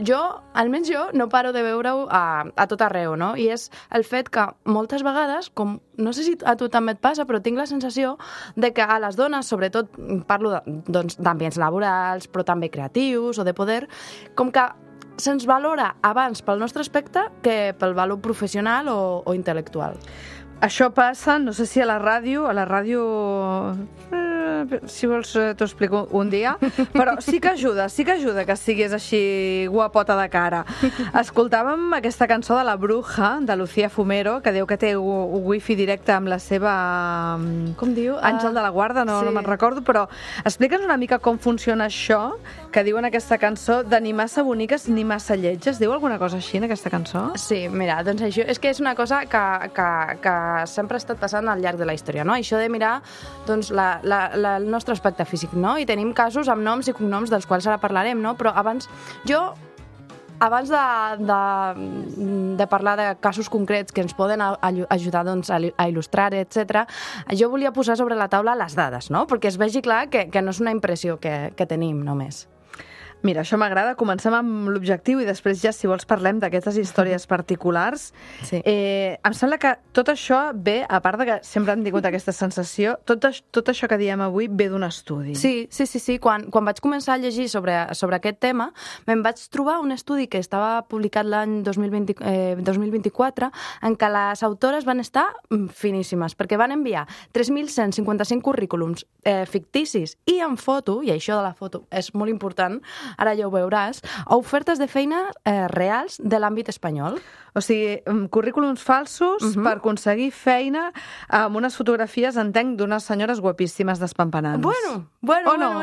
almenys jo, no paro de veure-ho a tot arreu, no? I és el fet que moltes vegades, com no sé si a tu també et passa, però tinc la sensació de que a les dones, sobretot parlo d'ambients laborals, però també creatius o de poder, com que se'ns valora abans pel nostre aspecte que pel valor professional o intel·lectual. Això passa, no sé si a la ràdio, si vols t'ho explico un dia, però sí que ajuda que siguis així guapota de cara. Escoltàvem aquesta cançó de La Bruja, de Lucía Fumero, que diu que té wifi directe amb la seva... Com diu? Àngel de la Guarda, no me'n recordo, però explica'ns una mica com funciona això que diu en aquesta cançó de ni massa boniques ni massa lletges. Diu alguna cosa així en aquesta cançó? Sí, mira, doncs això és que és una cosa que sempre ha estat passant al llarg de la història, no? Això de mirar doncs, el nostre aspecte físic, no? I tenim casos amb noms i cognoms dels quals ara parlarem, no? Però abans de parlar de casos concrets que ens poden ajudar doncs, a il·lustrar, etc., jo volia posar sobre la taula les dades, no? Perquè es vegi clar que no és una impressió que tenim només. Mira, això m'agrada. Comencem amb l'objectiu i després ja, si vols, parlem d'aquestes històries particulars. Sí. Em sembla que tot això ve, a part de que sempre hem tingut aquesta sensació, tot això que diem avui ve d'un estudi. Sí. Quan vaig començar a llegir sobre aquest tema, me'n vaig trobar un estudi que estava publicat l'any 2024 en què les autores van estar finíssimes, perquè van enviar 3.155 currículums ficticis i en foto, i això de la foto és molt important, ara ja ho veuràs, a ofertes de feina reals de l'àmbit espanyol. O sigui, currículums falsos per aconseguir feina amb unes fotografies, entenc, d'unes senyores guapíssimes despampanants. Bueno.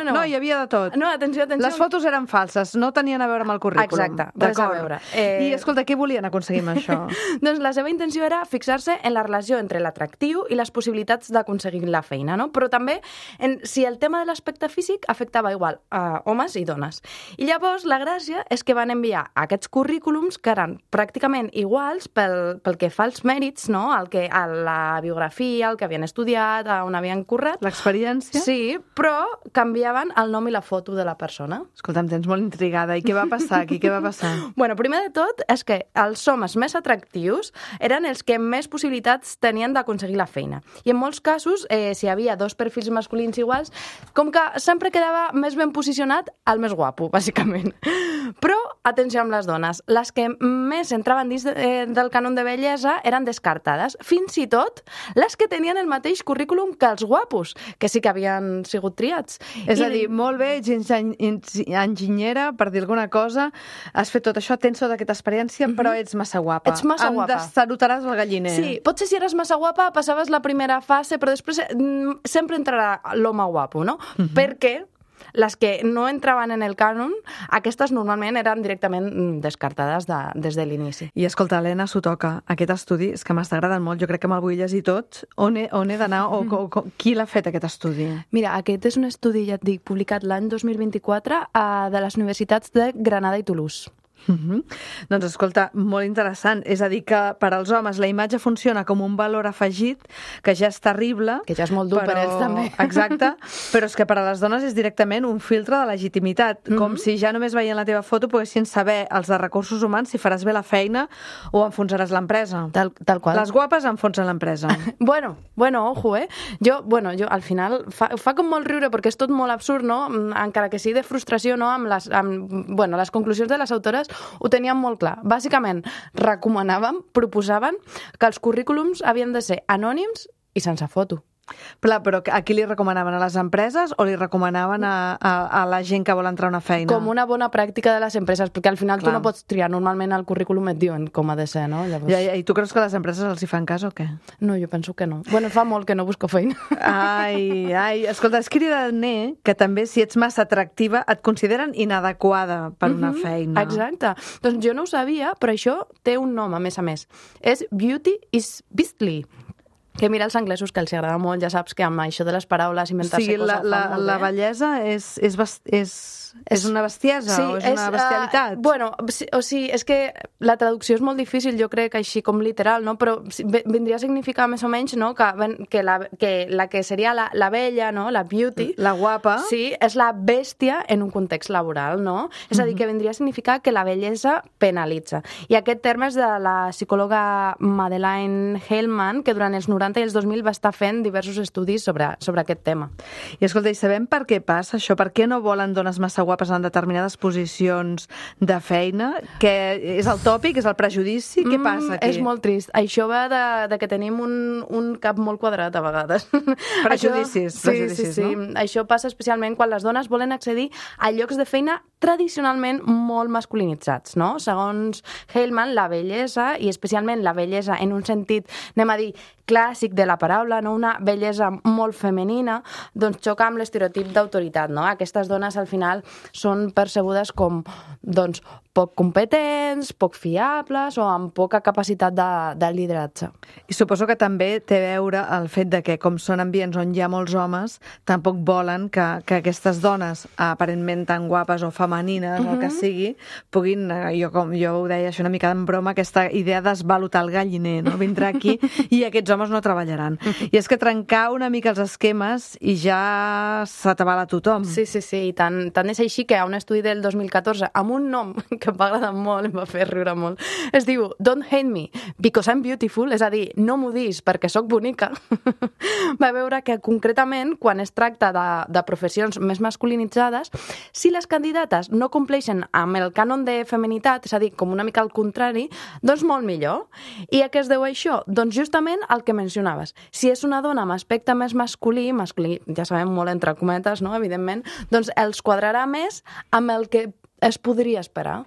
No, hi havia de tot. No, atenció. Les fotos eren falses, no tenien a veure amb el currículum. Exacte, res a veure. I, escolta, què volien aconseguir amb això? Doncs la seva intenció era fixar-se en la relació entre l'atractiu i les possibilitats d'aconseguir la feina, no? Però també si el tema de l'aspecte físic afectava igual a homes i dones. I llavors la gràcia és que van enviar aquests currículums que eren pràcticament iguals pel que fa als mèrits, no? A la biografia, el que havien estudiat, on havien currat. L'experiència? Sí, però canviaven el nom i la foto de la persona. Escolta, em tens molt intrigada. I què va passar aquí? Què va passar? Bueno, primer de tot és que els homes més atractius eren els que més possibilitats tenien d'aconseguir la feina. I en molts casos, si hi havia dos perfils masculins iguals, com que sempre quedava més ben posicionat el més guapo, bàsicament. Però, atenció amb les dones, les que més entraven dins del cànon de bellesa eren descartades, fins i tot les que tenien el mateix currículum que els guapos, que sí que havien sigut triats. És a dir, molt bé, ets enginyera, per dir alguna cosa, has fet tot això, tens tota aquesta experiència, però ets massa guapa. Ets massa guapa. Em destarotaràs el galliner. Sí, potser si eres massa guapa passaves la primera fase, però després sempre entrarà l'home guapo, no? Perquè les que no entraven en el cànon, aquestes normalment eren directament descartades des de l'inici. I escolta, Helena Sotoca, aquest estudi és que m'està agradant molt, jo crec que me'l vull llegir tot. On he d'anar o qui l'ha fet, aquest estudi? Mira, aquest és un estudi, ja et dic, publicat l'any 2024 de les universitats de Granada i Toulouse. Doncs escolta, molt interessant. És a dir, que per als homes la imatge funciona com un valor afegit, que ja és terrible. Que ja és molt dur per ells, també. Exacte, però és que per a les dones és directament un filtre de legitimitat, com si ja només veient la teva foto poguessin saber els de recursos humans si faràs bé la feina o enfonsaràs l'empresa. Tal qual. Les guapes enfonsen l'empresa. Bueno, ojo, Jo al final fa com molt riure perquè és tot molt absurd, no? Encara que sigui de frustració, no? Amb les conclusions de les autores ho tenien molt clar. Bàsicament, proposaven que els currículums havien de ser anònims i sense foto. Però a qui li recomanaven? A les empreses o li recomanaven a la gent que vol entrar a una feina? Com una bona pràctica de les empreses, perquè al final tu no pots triar. Normalment al currículum et diuen com ha de ser, no? Llavors... I tu creus que les empreses els hi fan cas o què? No, jo penso que no. Bueno, fa molt que no busco feina. Ai, escolta, és cridaner que també si ets massa atractiva et consideren inadequada per una feina. Exacte. Doncs jo no ho sabia, però això té un nom, a més. És Beauty is Beastly. Que mira els anglesos, que els agrada molt, ja saps que amb això de les paraules, inventar-se coses fan molt bé. La bellesa és una bestiesa o és una bestialitat? Bueno, o sigui, és que la traducció és molt difícil, jo crec, així com literal, no? Però vindria a significar més o menys, no? Que la que seria la bella, no? La beauty. La guapa. Sí, és la bèstia en un context laboral, no? És a dir, que vindria a significar que la bellesa penalitza. I aquest terme és de la psicòloga Madeleine Hellman, que durant els 90 i els 2000 va estar fent diversos estudis sobre aquest tema. I escolta, i sabem per què passa això? Per què no volen dones massa guapes en determinades posicions de feina? Que és el tòpic, és el prejudici? Què passa aquí? És molt trist. Això va de que tenim un cap molt quadrat a vegades. Prejudicis, sí. no? Això passa especialment quan les dones volen accedir a llocs de feina tradicionalment molt masculinitzats, no? Segons Hellman, la bellesa, i especialment la bellesa en un sentit, anem a dir, clàssic de la paraula, no? Una bellesa molt femenina, doncs xoca amb l'estereotip d'autoritat, no? Aquestes dones al final són percebudes com, doncs, poc competents, poc fiables o amb poca capacitat de lideratge. I suposo que també té a veure el fet de que, com són ambients on hi ha molts homes, tampoc volen que aquestes dones, aparentment tan guapes o femenines, o el que sigui, puguin, jo ho deia això una mica en broma, aquesta idea d'esvalotar el galliner, no? Vindrà aquí i aquests homes no treballaran. I és que trencar una mica els esquemes i ja s'atabala tothom. Sí, i tant és així que hi ha un estudi del 2014 amb un nom que em va agradar molt, em va fer riure molt. Es diu Don't Hate Me Because I'm Beautiful, és a dir, no m'odiis perquè sóc bonica. Va veure que concretament, quan es tracta de professions més masculinitzades, si les candidates no compleixen amb el cànon de feminitat, és a dir, com una mica al contrari, doncs molt millor. I a què es deu això? Doncs justament el que mencionaves. Si és una dona amb aspecte més masculí, ja sabem molt entre cometes, no?, evidentment, doncs els quadrarà més amb el que es podria esperar.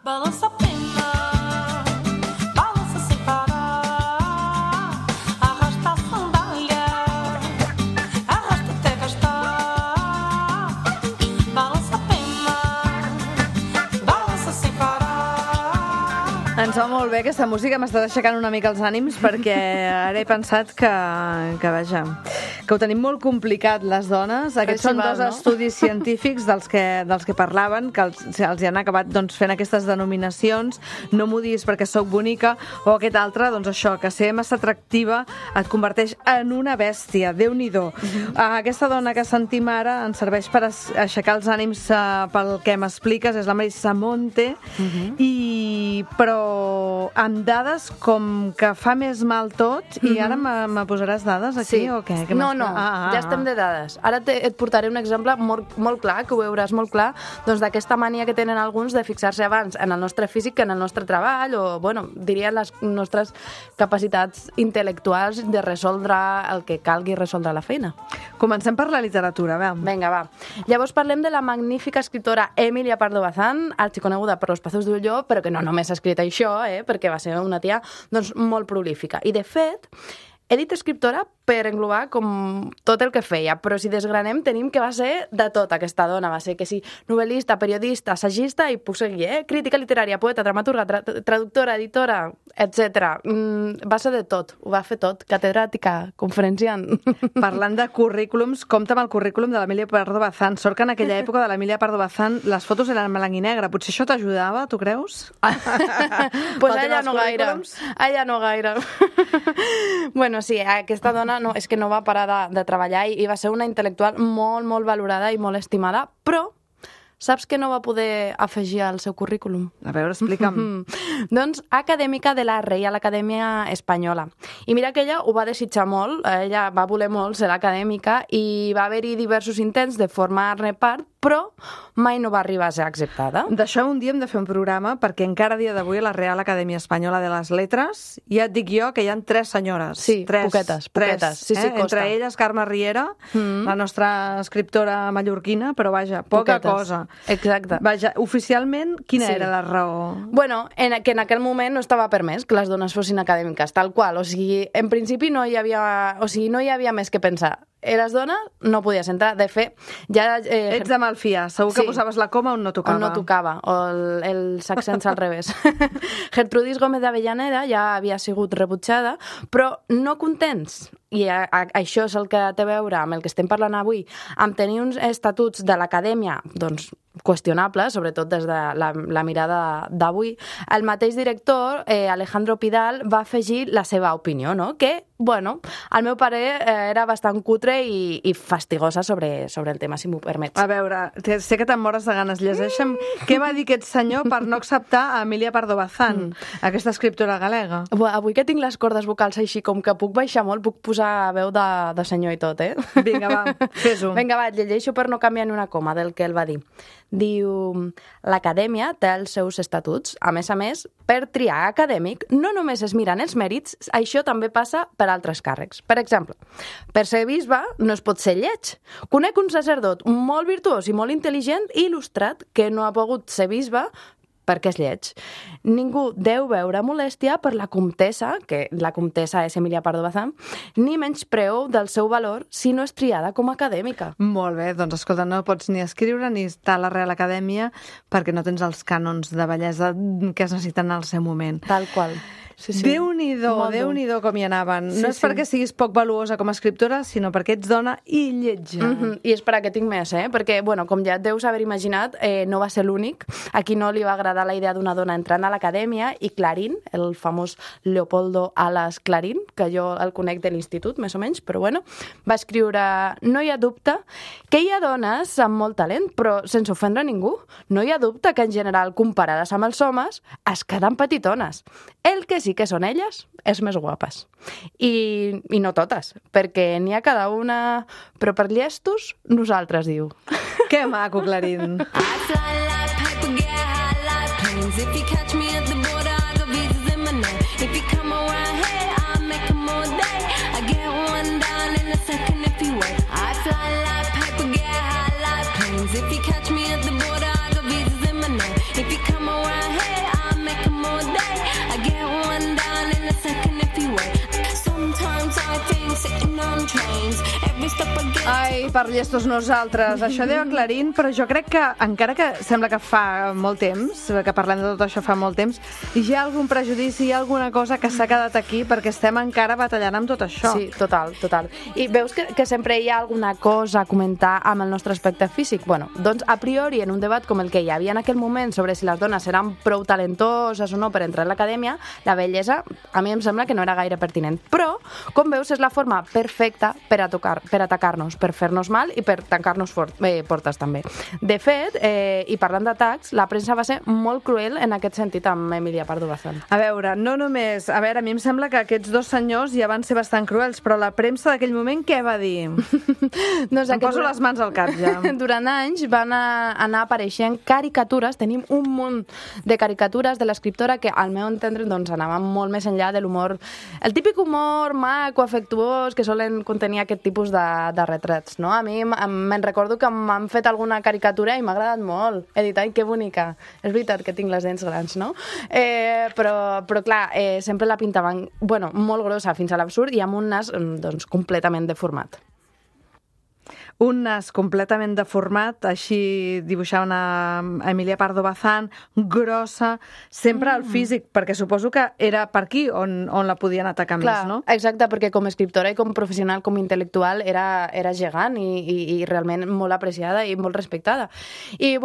Balança a pena, balança sem parar, arrasta a sandália, arrasta até gastar. Balança a pena, balança sem parar. Ens va molt bé aquesta música, m'està aixecant una mica els ànims perquè ara he pensat que vaja, que ho tenim molt complicat les dones. Aquests són dos estudis científics dels que parlaven, que els hi han acabat doncs, fent aquestes denominacions, no m'ho diguis perquè sóc bonica, o aquest altre, doncs això, que ser massa atractiva et converteix en una bèstia, Déu-n'hi-do. Aquesta dona que sentim ara ens serveix per aixecar els ànims pel que m'expliques, és la Marisa Monte, però amb dades com que fa més mal tot, i ara me posaràs dades aquí o què? No, ja estem de dades. Ara et portaré un exemple molt clar, que ho veuràs molt clar, doncs d'aquesta mania que tenen alguns de fixar-se abans en el nostre físic que en el nostre treball, o, bueno, diria les nostres capacitats intel·lectuals de resoldre el que calgui resoldre la feina. Comencem per la literatura, va. Vinga, va. Llavors parlem de la magnífica escriptora Emilia Pardo Bazán, arxiconeguda per Los Pazos d'Ulló, però que no només ha escrit això, perquè va ser una tia doncs, molt prolífica. I, de fet, he dit escriptora per englobar com tot el que feia, però si desgranem tenim que va ser de tot aquesta dona, va ser que sí, novel·lista, periodista, assagista i puc seguir, crítica literària, poeta, dramaturga, traductora, editora, etc. Va ser de tot, ho va fer tot, catedràtica, conferenciant. Parlant de currículums, compta amb el currículum de l'Emília Pardo Bazán. Sort que en aquella època de l'Emília Pardo Bazán les fotos eren en blanc i negre. Potser això t'ajudava, tu creus? Pues ella no gaire. Ella no gaire. Bueno, sí, aquesta dona és que no va parar de treballar i va ser una intel·lectual molt, molt valorada i molt estimada, però saps què no va poder afegir al seu currículum? A veure, explica'm. Doncs acadèmica de la Reial Acadèmia Espanyola. I mira que ella ho va desitjar molt, ella va voler molt ser acadèmica i va haver-hi diversos intents de formar-ne part, però mai no va arribar a ser acceptada. D'això un dia hem de fer un programa perquè encara a dia d'avui a la Real Acadèmia Espanyola de les Lletres ja et dic jo que hi ha 3 senyores. Sí, poquetes. Sí, costa. Entre elles Carme Riera, la nostra escriptora mallorquina, però vaja, poca cosa. Exacte. Vaja, oficialment, quina era la raó? Bueno, que en aquell moment no estava permès que les dones fossin acadèmiques, tal qual. O sigui, en principi no hi havia més que pensar. Eres dona, no podies entrar. De fet, ja... Ets de malfiar. Segur que posaves la coma on no tocava. On no tocava, o els accents al revés. Gertrudis Gómez d'Avellaneda ja havia sigut rebutjada, però no contents, i això és el que té a veure amb el que estem parlant avui, amb tenir uns estatuts de l'acadèmia, doncs, qüestionables, sobretot des de la mirada d'avui, el mateix director, Alejandro Pidal, va afegir la seva opinió, no? Que, bueno, al meu parer era bastant cutre i fastigosa sobre el tema, si m'ho permets. A veure, sé que te'n mores de ganes. Llegeixa'm què va dir aquest senyor per no acceptar a Emília Pardo Bazán, aquesta escriptora galega. Avui que tinc les cordes vocals així, com que puc baixar molt, puc posar veu de senyor i tot, eh? Vinga, va, fes-ho. Vinga, va, llegeixo per no canviar ni una coma del que ell va dir. Diu, l'acadèmia té els seus estatuts. A més, per triar acadèmic no només es miren els mèrits, això també passa per altres càrrecs. Per exemple, per ser bisbe no es pot ser lleig. Conec un sacerdot molt virtuós i molt intel·ligent i il·lustrat que no ha pogut ser bisbe perquè és lleig. Ningú deu veure molèstia per la comtessa, que la comtessa és Emília Pardo Bazán, ni menyspreu del seu valor si no és triada com a acadèmica. Molt bé, doncs escolta, no pots ni escriure ni estar a la Real Acadèmia perquè no tens els cànons de bellesa que es necessiten al seu moment. Tal qual. Sí, sí. Déu-n'hi-do com hi anaven. No és perquè siguis poc valuosa com a escriptora, sinó perquè ets dona i lletja. I és per a què tinc més, perquè, bueno, com ja et deus haver imaginat, no va ser l'únic. A qui no li va agradar la idea d'una dona entrant a l'acadèmia, i Clarín, el famós Leopoldo Alas Clarín, que jo el conec de l'institut, més o menys, però bueno, va escriure: no hi ha dubte que hi ha dones amb molt talent, però sense ofendre ningú. No hi ha dubte que, en general, comparades amb els homes, es queden petitones. El que sí que són elles, és més guapes. I no totes, perquè n'hi ha cada una, però per llestos, nosaltres, diu. Que maco, Clarín. I fly like paper, get high like planes. If you catch me at the border, I got visas in my name. If you come around here, I'll make them all day. I get one down in a second if you wait. I fly like paper, get high like planes. If you catch me at the border, I got visas in my name. If you come around here, I'll make them all day. I get one down in a second if you wait. Sometimes I think sitting on trains. Every step I get. Ai, per llestos nosaltres. Això deia Clarín, però jo crec que, encara que sembla que fa molt temps, que parlem de tot això fa molt temps, hi ha algun prejudici, hi ha alguna cosa que s'ha quedat aquí perquè estem encara batallant amb tot això. Sí, total. I veus que sempre hi ha alguna cosa a comentar amb el nostre aspecte físic? Bueno, doncs a priori, en un debat com el que hi havia en aquell moment sobre si les dones eren prou talentoses o no per entrar a l'acadèmia, la bellesa a mi em sembla que no era gaire pertinent. Però, com veus, és la forma perfecta per atacar-nos, per fer-nos mal i per tancar-nos portes també. De fet, i parlant d'atacs, la premsa va ser molt cruel en aquest sentit amb Emília Pardo Bazán. A veure, no només... A veure, a mi em sembla que aquests dos senyors ja van ser bastant cruels, però la premsa d'aquell moment què va dir? Doncs em poso les mans al cap, ja. Durant anys van anar apareixent caricatures, tenim un munt de caricatures de l'escriptora que, al meu entendre, doncs, anaven molt més enllà de l'humor, el típic humor maco, afectuós, que solen contenir aquest tipus de retrats, no? no? A mi me'n recordo que m'han fet alguna caricatura i m'ha agradat molt. He dit, ai, que bonica. És veritat que tinc les dents grans, no? Però clar, sempre la pintaven, molt grossa, fins a l'absurd, i amb un nas, doncs, completament deformat. Un nas completament deformat, així dibuixaven a Emilia Pardo Bazán, grossa, sempre al físic, perquè suposo que era per aquí on la podien atacar més, no? Exacte, perquè com a escriptora i com professional, com intel·lectual, era gegant i realment molt apreciada i molt respectada. I,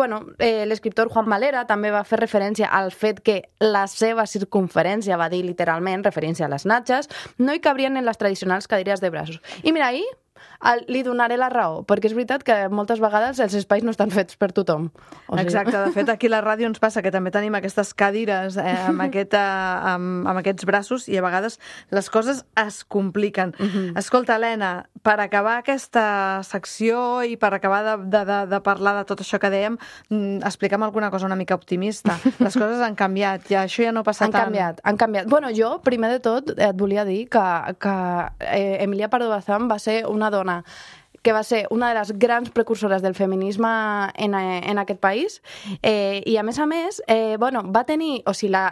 l'escriptor Juan Valera també va fer referència al fet que la seva circunferència, va dir literalment, referència a les natges, no hi cabrien en les tradicionals cadires de braços. I mira, ahir li donaré la raó, perquè és veritat que moltes vegades els espais no estan fets per tothom. Exacte, de fet aquí a la ràdio ens passa que també tenim aquestes cadires amb aquests braços i a vegades les coses es compliquen. Escolta, Helena, per acabar aquesta secció i per acabar de parlar de tot això que dèiem, explica'm alguna cosa una mica optimista. Les coses han canviat, això ja no passa tant. Han canviat. Jo, primer de tot, et volia dir que Emilia Pardo Bazán va ser una dona que va ser una de les grans precursores del feminisme en aquest país, i a més, va tenir,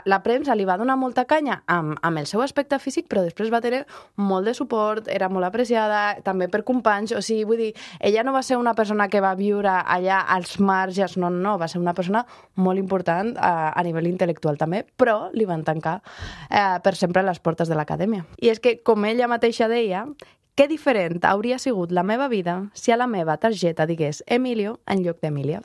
la premsa li va donar molta canya amb el seu aspecte físic, però després va tenir molt de suport, era molt apreciada, també per companys, vull dir, ella no va ser una persona que va viure allà als marges, no, va ser una persona molt important a nivell intel·lectual també, però li van tancar per sempre les portes de l'acadèmia. I és que, com ella mateixa deia, que diferent hauria sigut la meva vida si a la meva targeta digués Emilio en lloc d'Emília.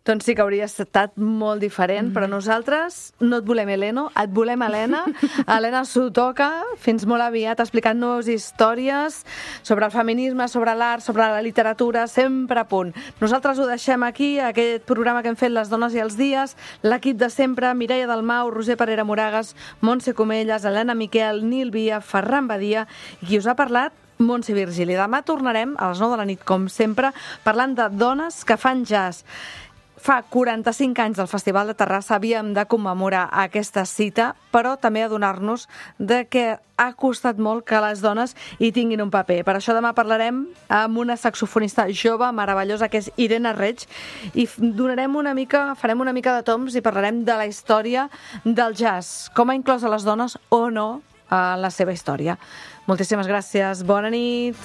Doncs sí que hauria estat molt diferent, però nosaltres no et volem Heleno, et volem Helena. Helena Sotoca, fins molt aviat, explicant-nos històries sobre el feminisme, sobre l'art, sobre la literatura, sempre a punt. Nosaltres ho deixem aquí, aquest programa que hem fet Les dones i els dies, l'equip de sempre, Mireia Dalmau, Roser Parera Moragas, Montse Comelles, Helena Miquel, Nil Via, Ferran Badia, i qui us ha parlat, Montse Virgili. Demà tornarem a les 9 de la nit, com sempre, parlant de dones que fan jazz. Fa 45 anys del Festival de Terrassa havíem de commemorar aquesta cita, però també adonar-nos de que ha costat molt que les dones hi tinguin un paper. Per això demà parlarem amb una saxofonista jove, meravellosa, que és Irene Reig, i farem una mica de toms i parlarem de la història del jazz, com ha inclòs a les dones o no a la seva història. Moltíssimes gràcies, bona nit!